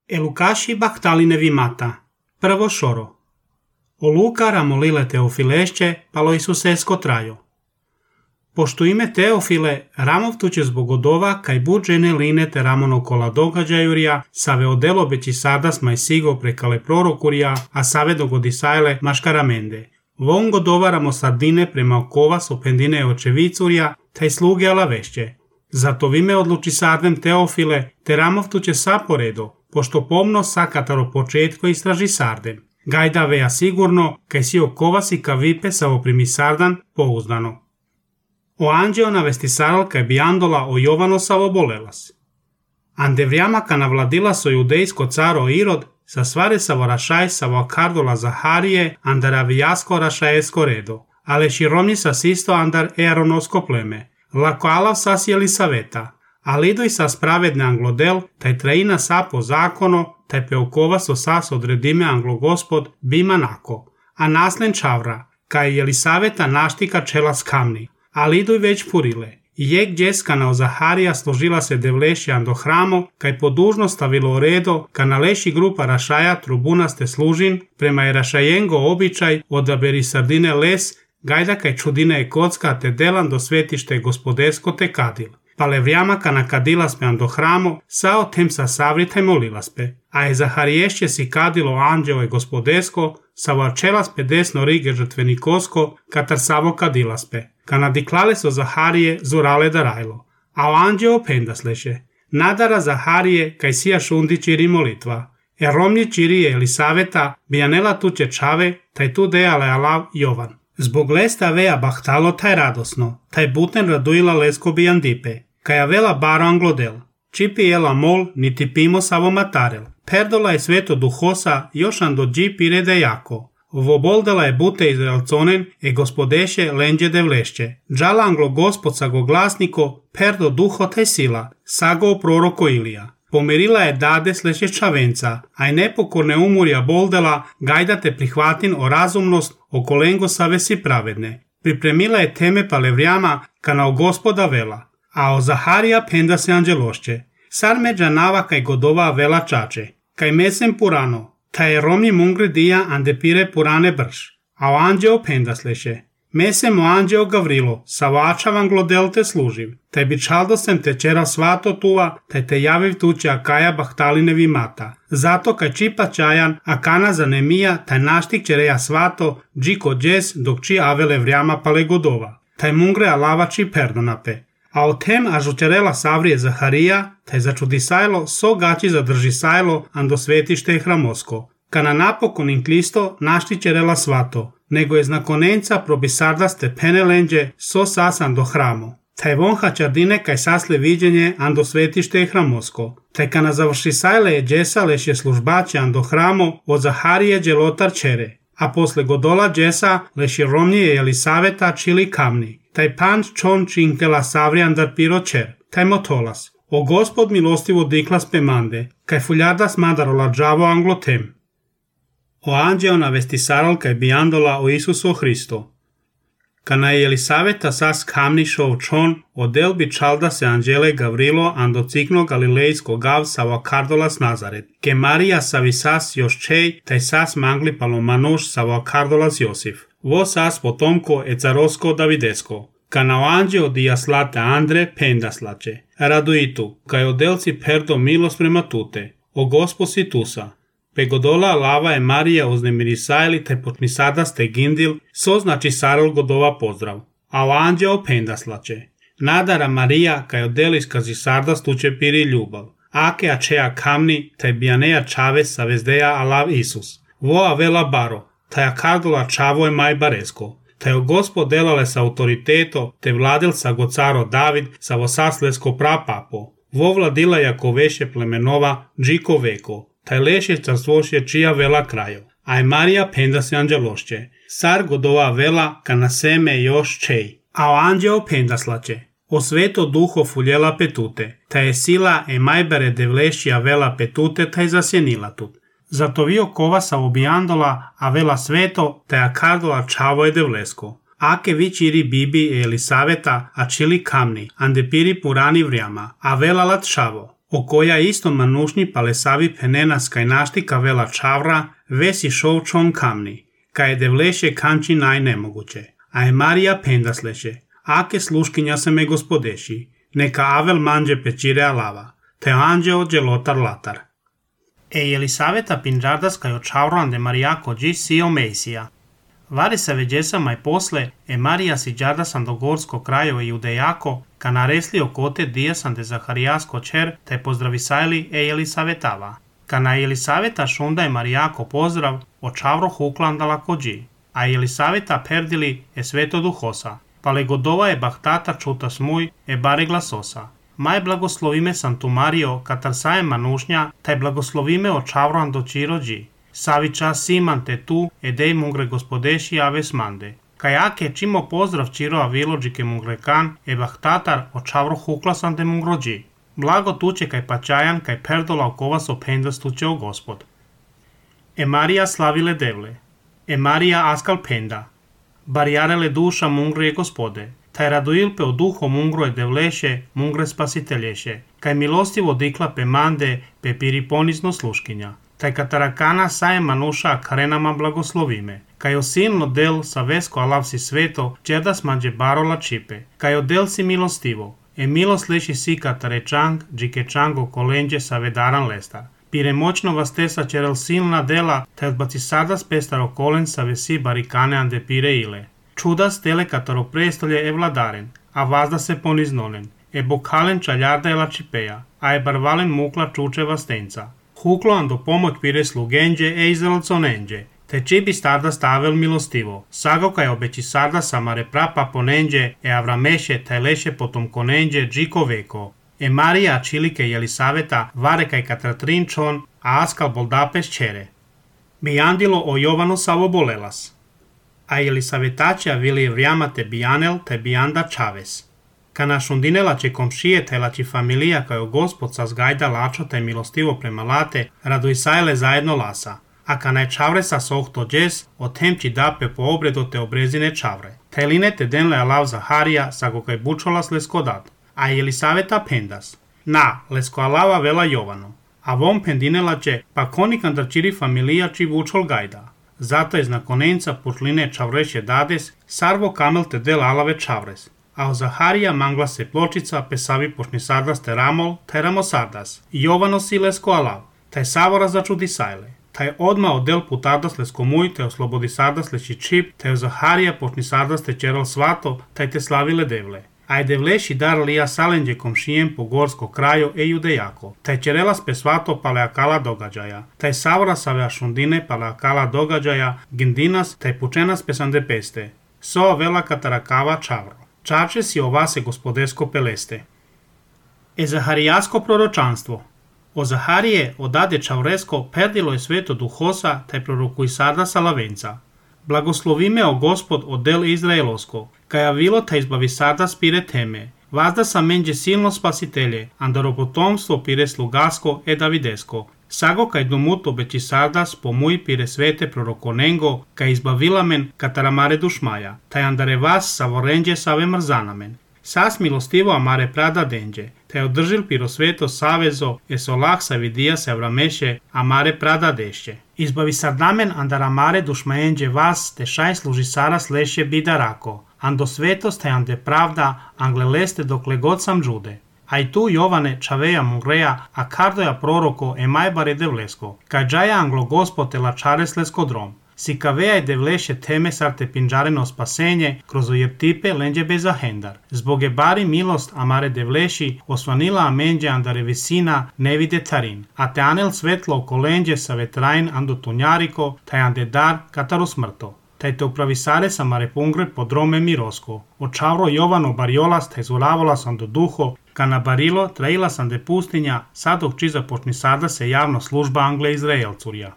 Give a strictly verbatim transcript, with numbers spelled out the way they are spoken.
Елукаши бахталине вимата. Прво шоро. O Luka ramolile Teofilešće, palo Isusesko trajo. Pošto ime Teofile, Ramov tuče zbog odova, kaj buđene line te ramono kola događajurija, save odelo beći sardas maj sigo prekale prorokurija, a save dogodisajle maškaramende. Von godovaramo sardine prema okova sopendine očevicurija, taj sluge alavešće. Zato vime odluči sardem Teofile, te Ramov tuče saporedo, pošto pomno sakataro početko istraži sardem. Gajda veja sigurno, kaj si okovasi ka vipe sa oprimi sardan pouzdano. O anđeo navesti saral kaj bi andola o Jovano sa obolelas. Ande vrijama ka navladila so judejsko caro Irod, sa svare sa vorašaj sa vokardola Zaharije, andar avijasko rašajesko redo, ale širomni sa sisto andar earonosko pleme, lako alav sas Jelisaveta, a lidoj sa spravedne anglodel, taj traina sa po zakono, taj peokova so sas odredime anglogospod bima nako, a naslen čavra, kaj Jelisaveta naštika čela skamni, a lidoj već purile, i jek djeska na Zaharija složila se devlešjan do hramo, kaj po dužno stavilo redo, ka naleši grupa rašaja trubunaste služin, prema je rašajengo običaj odaberi sardine les, gajda kaj čudine je kocka te delan do svetište gospodesko te kadil. Pale vrijama ka nakadilaspe do hramo, sao tem sa savritaj molilaspe, a je Zahariješće si kadilo anđeo je gospodesko, sa varčelaspe desno rige žrtvenikosko, katar savo kadilaspe, ka nadiklale so Zaharije zurale darajlo, a o anđeo pendasleše, nadara Zaharije kaj sija šundi čiri molitva, er romnji čiri je Elisaveta, bijanela tuče čave, taj tu dejale alav Jovan. Zbog lesta veja bahtalo taj radosno, taj buten raduila lesko bijandipe, kaja vela baro anglodel, čipi jela mol, niti pimo savo matarel, perdola je sveto duhosa, jošan do dži pirede jako, voboldela je bute izraelconen, e gospodeše lenđe devlešće, džala anglo gospod sago glasniko, perdo duho taj sila, sago proroko Ilija. Pomerila je dade sleće čavenca, a i nepokorne umurja boldela, gajda te prihvatin o razumnost, o kolengo save si pravedne. Pripremila je teme palevrijama, ka na o gospoda vela, a o Zaharija penda se anđelošće. Sar međa nava kaj godova vela čače, kaj mesem purano, taj je romni mungri dija ande pire purane brš, a o anđeo penda sleće. Mesem o anđeo Gavrilo, sa vačavan glodel te služiv, taj bi čaldosem te čera svato tuva, taj te javiv tuče akaja bahtaline vimata. Zato kaj čipa čajan, akana zanemija, taj naštik čereja svato, džiko džes, dok či avele vrijama pale godova. Taj mungre alavači perdonape. A o tem ažučerela savrije Zaharija, taj začudisajlo, so gači zadržisajlo, ando svetište hramosko. Kana napokon inklisto naštićerela svato, nego je znakonenca probisardaste penelenđe so sasan do hramo. Taj vonha čardine kaj sasle viđenje ando svetište je hramosko. Taj kana završisajle je džesa leš je službače ando hramo od Zaharije dželotar čere. A posle godola džesa leš je romnije Jelisaveta čili kamni. Taj panč čon činkela savri andar piro čer. Taj motolas. O gospod milostivo diklas pemande. Kaj fuljardas madarola džavo anglotem. O anđeo navesti saral kaj bi andola o Isusu Hristo. Kana je Jelisaveta sas kamnišo čon, odel bi čalda se anđele Gavrilo ando cikno galilejsko gav sa vakardolas Nazaret, ke Marija savi sas još čej, taj sas mangli palomanoš sa vakardolas Josif. Vo sas potomko e carosko Davidesko. Kana o anđeo dija slate Andre pendaslače. Raduitu, kaj odelci perdo milos prema tute. O gospo si tusa. Pegodola lava je Marija uznemirisajli te potmisadaste gindil, so znači sarol godova pozdrav. A o anđeo pendaslače. Nadara Marija kaj odelis kazi sardas tuče piri ljubav. Ake ačeja kamni, taj bijaneja čave sa vezdeja alav Isus. Vo avela baro, taj akardola čavo je maj baresko. Taj o gospod delale sa autoriteto, te vladil sa go caro David, sa vo saslesko prapapo. Vo vladila jako veše plemenova, džiko veko. Taj leše carstvoše čija vela krajo, a je Marija penda se anđelošće. Sar godova vela ka na seme još čej, a o anđeo pendaslače. O sveto duho fuljela petute, taj je sila e majbere devlešća vela petute taj zasjenila tut. Zato vio kova sa obijandola, a vela sveto, taj akardola čavo je devlesko. Ake vi čiri bibi e Elisaveta, a čili kamni, ande piri purani vrijama, a vela lat šavo. o koja isto manušnji palesavi penenas kaj naštika vela čavra, vesi šovčon kamni, kaj je devleše kanči najnemoguće. A je Marija pendasleše, ake sluškinja se me gospodeši, neka avel manđe pečire alava, te anđeo dželotar latar. E Jelisaveta pinđardas kaj očavroan de Marijako dži sio Mesija. Vari se veđesa maj posle, e Marija si džardasan do gorsko krajo i judejako, ka naresli okote dijasan de Zaharijasko čer, te pozdravisajli e Jelisavetava. Ka na Jelisaveta šunda je Marijako pozdrav, očavro huklandala kođi, a Jelisaveta perdili e sveto duhosa, pa legodova je bahtata čuta smuj e bare glasosa. Maj blagoslovime Santu Mario, katar saje manušnja, taj blagoslovime očavroan do čirođi. Saviča siman te tu, edej mungre gospodeši aves mande. Kajake čimo pozdrav čiro avilođike mungrekan, e bahtatar očavro huklasan de mungrođi. Blago tuče kaj pačajan, kaj perdola okova so pendas tuče o gospod. E Marija slavile devle. E Marija askal penda. Barjarele duša mungre je gospode. Taj radoilpe o duho mungro je devleše, mungre spasitelješe. Kaj milostivo dikla pe mande, pe piriponizno sluškinja. Taj katarakana saje manuša karenama blagoslovime. Kaj osilno del sa vesko alav si sveto, čerdas manđe barola čipe. Kaj odel si milostivo. E milost leši si katarečang, džike čango kolenđe sa vedaran lestar. Pire moćno vas tesa čerel silna dela, taj odbaci sadas pestaro kolen sa vesi barikane ande pire ile. Čudas tele kataro prestolje e vladaren, a vazda se poniznonen. E bokalen čaljarda e lačipeja, a e barvalen mukla čučeva stenca. Huklo ando pomoć pire slugenđe e izrelconenđe, te čibi starda stavel milostivo. Sago kaj obeći sarda samare prapa ponenđe e avrameše taj leše potom konenđe džiko veko. E Marija čilike Jelisaveta vare kaj katratrinčon, a askal boldapes čere. Bijandilo o Jovanu savo bolelas. A Jelisavetača vili vrijamate bijanel te bijanda čaves. Ka našundinela će komšije te lači familija kao gospod sa zgajda lačo te milostivo prema late, radojsajle zajedno lasa. A ka naj čavre sa sohto džes, o temči dape po obredo te obrezine čavre. Te line te denle alav Zaharija, sa go kaj bučolas leskodat. A Jelisaveta pendas. Na, lesko alava vela Jovano. A vom pendinela će, pa konikandar čiri familija či bučol gajda. Zato je znakonenca pušline čavreše dades, sarvo kamel te del alave čavres. A o Zaharija mangla se pločica pesavi pošni sardas te ramol, te ramo sardas. Jovano si lesko alav, taj savora začudi sajle. Taj odma odel putardas lesko muj, te oslobodi sardas leši čip, te o Zaharija pošni sardas te čeral svato, taj te slavile devle. A je devleši dar lija salenđe komšijem po gorsko kraju e judejako. Taj čerelas pe svato paleakala događaja. Taj savora save šundine paleakala događaja, gindinas taj pučenas pesande peste. Soa vela katarakava čavro. Čače si ovase gospodesko peleste. E Zaharijasko proročanstvo. O Zaharije odade čavresko perdilo je sveto duhosa taj prorokuj sarda salavenca. Blagoslovime o gospod odel Izraelosko, kaj avilo ta izbavi sarda spire teme. Vazda sa menđe silno spasitelje, andaro potomstvo pire slugasko e davidesko. Sago kaj dumut obeći sardas pomuj pire svete prorokonengo, kaj izbavila men kataramare dušmaja, taj andare vas savorenđe save mrzanamen. Sas milostivo amare prada denđe, te održil piro sveto savezo, e solah savidija se avrameše amare prada dešće. Izbavi sardamen andaramare dušmajenđe vas, te šaj služi saras leše bidarako, ando svetos te ande pravda, angle leste dokle god sam džude. A i tu Jovane čaveja mungreja, a kardoja proroko e majbare devlesko, kaj džaja anglo gospode lačares lesko drom. Si kaveja je devleše teme sar te pinđareno spasenje, kroz ojeptipe lenđe bez ahendar. Zbog je bari milost amare devleši, osvanila amenđe andare visina ne vide tarin. A te anel svetlo oko lenđe sa vetrain ando tunjariko, taj ande dar kataru smrto. Taj te upravisare sa mare pungre podrome mirosko. Očavro Jovano bariolas taj zvoravolas ando duho, ka na barilo traila sam de pustinja, sadok či započni sada se javno služba Angle Izraelcurja.